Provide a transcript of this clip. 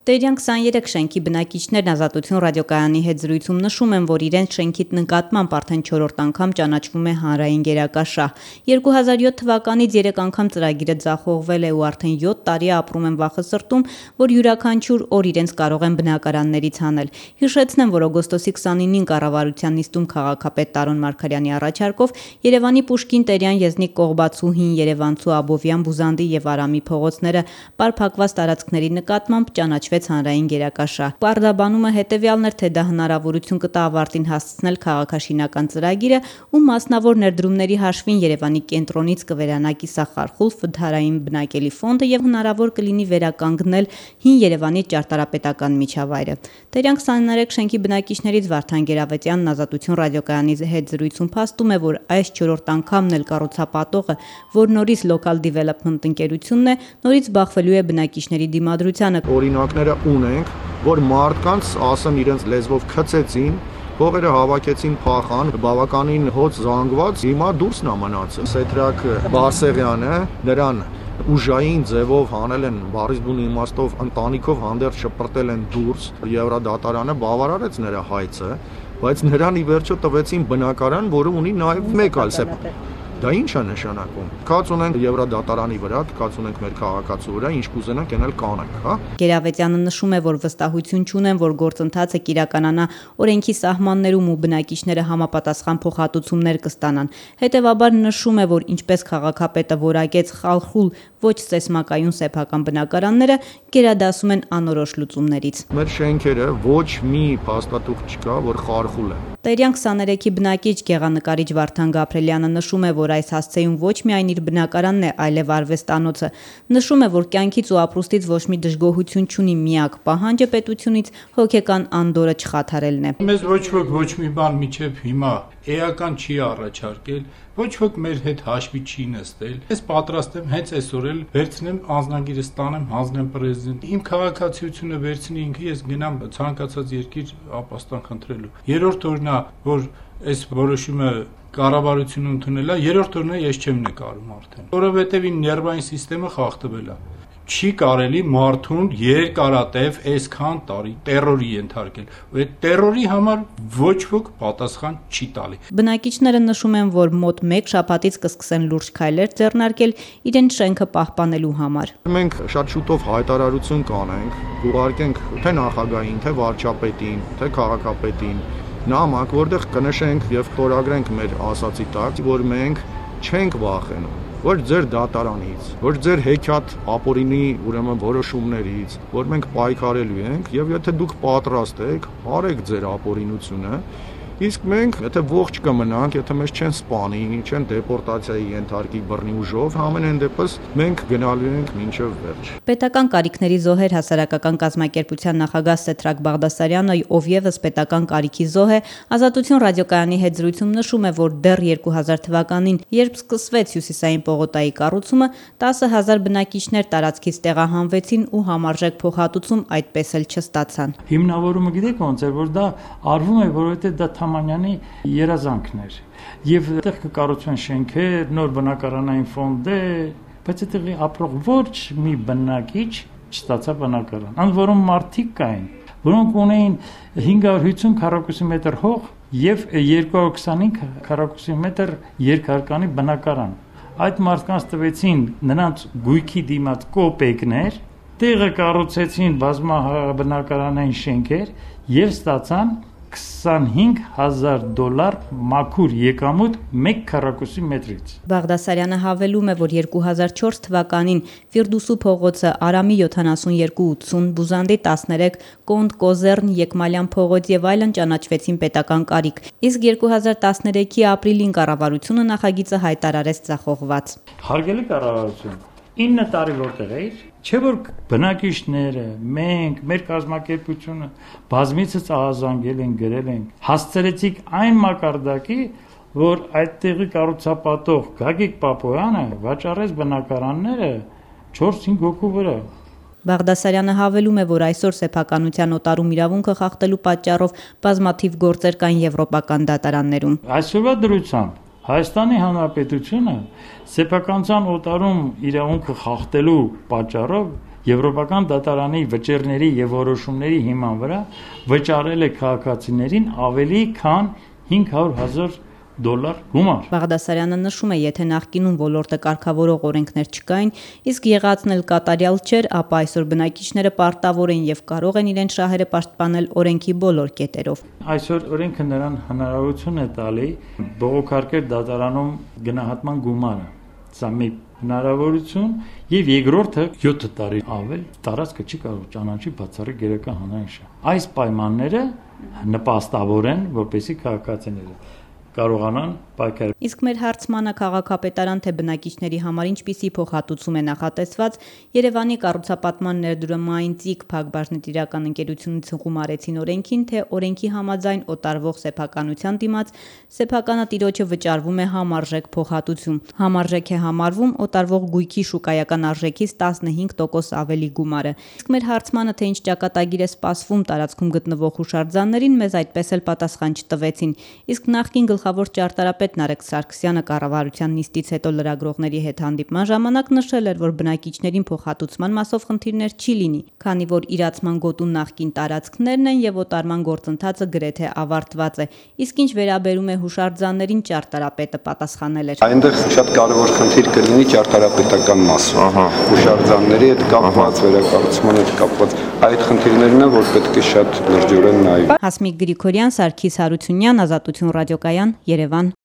Տերյան 23 շենքի բնակիչներն Ազատություն ռադիոկայանի հետ զրույցում նշում են, որ իրենց շենքի նկատմամբ արդեն 4-րդ անգամ ճանաչվում է հանրային գերակաշահ։ 2007 թվականից 3 անգամ ծրագիրը ձախողվել է ու արդեն 7 տարի ապրում են վախսրտում, որ յուրաքանչյուր օր իրենց կարող են բնակարաններից հանել։ Հիշեցնեմ, որ օգոստոսի 29-ին կառավարության նիստում քաղաքապետ Տարոն Մարգարյանի առաջարկով Երևանի Պուշկին, Տերյան, Եզնիկ, Կողբացու, Հին Երևանցու, Աբովյան, Բուզանդի եւ Արամի փողոցները պարփակված տարածքների նկատմամբ ճանաչվեց հանրային գերակաշահ։ Պարզաբանումը հետևյալն էր, թե դա հնարավորություն կտա ավարտին հասցնել քաղաքաշինական ծրագիրը ու մասնավոր ներդրումների հաշվին Երևանի կենտրոնից կվերանա կիսախարխուլ վթարային բնակելի ֆոնդը եւ հնարավոր կլինի վերականգնել Հին Երևանի ճարտարապետական միջավայրը։ Տերյան 23 շենքի բնակիչներից Վարդան Գերավետյանն Ազատություն ռադիոկայանի հետ զրույցում փաստում է, որ այս 4-րդ անգամն էլ կառուցապատողը, որ նորից Local Development ընկերությունն է, նորից բախվելու է բնակիչների դիմադրությանը։ Օրինակները ունենք, որ մարդկանց ասեմ իրենց լեզվով քցեցին, փողերը հավաքեցին, փախան, բավականին հոց զանգված, հիմա դուրսն է մնացել։ Սեթրակ Բարսեղյանը նրան ուժային ձևով հանել են բառից բուն իմաստով ընտանիքով հանդերձ շպրտել են դուրս, Եվրադատարանը բավարարեց նրա հայցը, բայց նրան ի վերջո տվեցին բնակարան, որը ունի նաև մեկ այլ սեփ։ Դա ինչ է նշանակում։ Կաց ունենք Եվրադատարանի վրա, կաց ունենք մեր քաղաքացու վրա, ինչ կուզենանք, այնել կանենք, հա։ Գերավետյանը նշում է, որ վստահություն չունեն, որ գործընթացը կիրականանա օրենքի սահմաններում ու բնակիչները համապատասխան փոխհատուցումներ կստանան։ Հետևաբար նշում է, որ ինչպես քաղաքապետը որակեց խալխուլ ոչ սեսմակայուն սեփական բնակարանները, գերադասում են անորոշ լուծումներից։ Մեր շենքերը ոչ մի փաստաթուղթ չկա, որ խարխուլ է։ Տերյան 23-ի բնակիչ գեղանկարիչ Վարդան Գաբրելյանը նշում է, որ այս հասցեում ոչ միայն իր բնակարանն է, այլև արվեստանոցը։ Նշում է, որ կյանքից ու ապրուստից ոչ մի դժգոհություն չունի, միակ պահանջը պետությունից հոգեկան անդորրը չխաթարելն է։ Մեզ ոչ ոք ոչ մի բան միջև հիմա էական չի առաջարկել, ոչ ոք մեր հետ հաշվի չի նստել։ Ես պատրաստ եմ հենց այսօր էլ վերցնեմ անձնագիրը ստանեմ, հանձնեմ պրեզիդենտ։ Իմ քաղաքացիությունը վերցնի ինքը, ես գնամ ցանկացած երկիր ապաստան խնդրելու։ Երրորդ օրն է, որ այս որոշումը կառավարությունը ընդունել է, երրորդ օրն է ես չեմ նկարում արդեն։ Որովհետև ին ներվային համակարգը խախտվել է։ Չի կարելի մարդուն երկարատև այսքան տարի տերորի ենթարկել։ Այդ տերորի համար ոչ ոք պատասխան չի տալի։ Բնակիչները նշում են, որ մոտ 1 շաբաթից կսկսեն լուրջ քայլեր ձեռնարկել իրենց շենքը պահպանելու համար։ Մենք շատ շուտով հայտարարություն կանենք, ուղարկենք թե նախագահին, թե վարչապետին, թե քաղաքապետին, նամակ, որտեղ կնշենք եւ խորագրենք մեր ասացի տակ, որ մենք չենք վախենում ոչ ձեր դատարանից, ոչ ձեր հեքիաթ ապօրինի ուրեմն որոշումներից, որ մենք պայքարելու ենք եւ եթե դուք պատրաստ եք, արեք ձեր ապօրինությունը, իսկ մենք եթե ողջ կմնանք, եթե մեզ չեն սպանի, չեն դեպորտացիայի ենթարկի բռնի ուժով, ամենայն դեպս մենք գնալու ենք մինչև վերջ։ Պետական կարիքների զոհեր հասարակական կազմակերպության նախագահ Սեթրակ Բաղդասարյանը, ով եւս պետական կարիքի զոհ է, Ազատություն ռադիոկայանի հետ զրույցում նշում է, որ դեռ 2000 թվականին, երբ սկսվեց Հյուսիսային պողոտայի կառուցումը, 10,000 բնակիչներ տարածքից տեղահանվեցին ու համարժեք փոխհատուցում այդպես էլ չստացան։ Հիմնավորումը գիտեք ոնց է, որ դա արվում է, որովհետեւ դա Թամանյանի երազանքներ եւ այդտեղ կկառուցվեն շենքեր, նոր բնակարանային ֆոնդ է, բայց այդտեղի ապրող ոչ մի բնակիչ չստացա բնակարան։ Անդ որում մարդիկ կային, որոնք ունեին 550 քառակուսի մետր հող եւ 225 քառակուսի մետր երկհարկանի բնակարան։ Այդ մարդկանց տվեցին նրանց գույքի դիմաց կոպեկներ, տեղը կառուցեցին բազմաբնակարանային շենքեր եւ ստացան $25,000 մաքուր եկամուտ 1 քառակուսի մետրից։ Բաղդասարյանը հավելում է, որ 2004 թվականին Ֆիրդուսու փողոցը, Արամի 7280, Բուզանդի 13, Կոնդ Կոզեռն, Եկմալյան փողոց եւ այլն ճանաչվեցին պետական կարիք։ Իսկ 2013-ի ապրիլին կառավարությունը նախագիծը հայտարարեց ձախողված։ Հարգելի կառավարություն, 9 տարի որտեղ էիր, չէ որ բնակիչները, մենք, մեր կազմակերպությունը բազմիցս ահազանգել են, գրել են, հասցրեցիք այն մակարդակի, որ այդտեղի կառուցապատող Գագիկ Պապոյանը վաճառեց բնակարանները 4-5 հոգու վրա։ Բաղդասարյանը հավելում է, որ այսօր սեփականության օտարում իրավունքը խախտելու պատճառով բազմաթիվ գործեր կան եվրոպական դատարաններում։ Այսօրվա դրությամբ Հայաստանի Հանրապետությունը սեփականության օտարում իրավունքը խախտելու պատճառով Եվրոպական դատարանի վճիռների եւ որոշումների հիման վրա վճարել է քաղաքացիներին ավելի քան $500,000 գումար։ Բաղդասարյանը նշում է, եթե նախկինում ոլորտը կարգավորող օրենքներ չկային, իսկ եղածն էլ կատարյալ չէր, ապա այսօր բնակիչները պարտավոր են եւ կարող են իրենց շահերը պաշտպանել օրենքի բոլոր կետերով։ Այսօր օրենքը նրան հնարավորություն է տալի բողոքարկել դատարանում գնահատման գումարը։ Սա մի հնարավորություն եւ երկրորդը 7 տարի ավել տարածքը չի կարող ճանաչի բացառիկ գերական հանրային շահ։ Այս պայմանները նպաստավոր են, որպեսզի քաղաքացիները կարողանան պայքարել։ Իսկ մեր հարցմանը քաղաքապետարան թե բնակիչների համար ինչպիսի փոխհատուցում է նախատեսված, Երևանի կառուցապատման ներդրումային ՑԻԿ Փակbaşնետիրական ընկերությունից հուղումարեցին օրենքին, թե օրենքի համաձայն օտարվող սեփականության դիմաց սեփականը տիրոջը վճարվում է համարժեք փոխհատուցում։ Համարժեք է համարվում օտարվող գույքի շուկայական արժեքից 15% ավելի գումարը։ Իսկ մեր հարցմանը թե ինչ ճակատագիր է սպասվում տարածքում գտնվող հուշարձաններին, մեզ այդպես էլ պատասխան չտվեցին։ Իսկ նախկին գլխավոր ճարտարապետ Նարեկ Սարգսյանը կառավարության նիստից հետո լրագրողների հետ հանդիպման ժամանակ նշել էր, որ բնակիչներին փոխհատուցման մասով խնդիրներ չի լինի, քանի որ իրացման գոտու նախկին տարածքներն են եւ օտարման գործընթացը գրեթե ավարտված է։ Իսկ ինչ վերաբերում է հուշարձաններին, ճարտարապետը պատասխանել էր. Այնտեղ շատ կարևոր խնդիր կլինի ճարտարապետական մասը։ Հուշարձանների հետ կապված, վերակառուցման հետ կապված այդ խնդիրներն են, որ պետք է շատ լրջորեն նայել։ Հասմիկ Գրիգորյան, Սարգիս Հարությունյան, Ազատություն ռադիոկայան, Երևան։